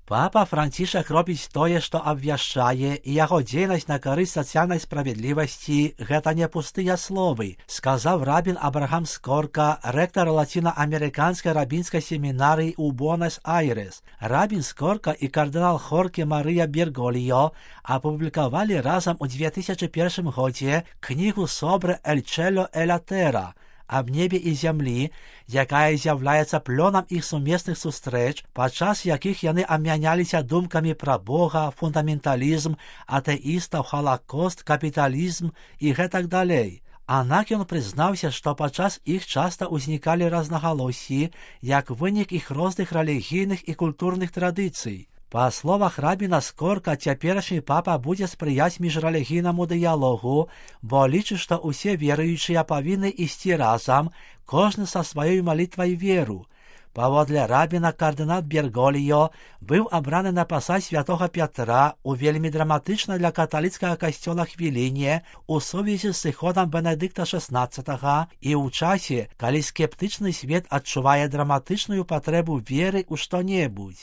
Папа Францішак робіць тое, што абвяшчае, і яго дзейнасць на карысць сацыяльнай справядлівасці – гэта не пустыя словы, сказаў рабін Абрахам Скорка, рэктар лацінаамерыканскай рабінскай семінарыі ў Буэнос-Айрес. Рабін Скорка і кардынал Хорке Марыя Берголіо апублікавалі разам у 2001 годзе кнігу «Sobre el cielo e la terra» аб небе і зямлі, якая з'яўляецца плёнам іх сумесных сустрэч, падчас якіх яны абмяняліся думкамі пра Бога, фундаменталізм, атэістаў, халакост, капіталізм і гэтак далей. Аднак ён прызнаўся, што падчас іх часта ўзнікалі рознагалоссі, як вынік іх розных рэлігійных і культурных традыцый. Па словах рабіна Скорка, цяперашні папа будзе спрыяць міжрэлігійнаму дыялогу, бо лічыць, што ўсе веруючыя павінны ісці разам, кожны са сваёй малітвай веру. Паводле рабіна, кардынал Берголіо быў абраны на пасад святога Пятра у вельмі драматычнай для каталіцкага касцёла хвіліне у сувязі з сыходам Бенедыкта XVI і ў часе, калі скептычны свет адчувае драматычную патрэбу веры ў што-небудзь.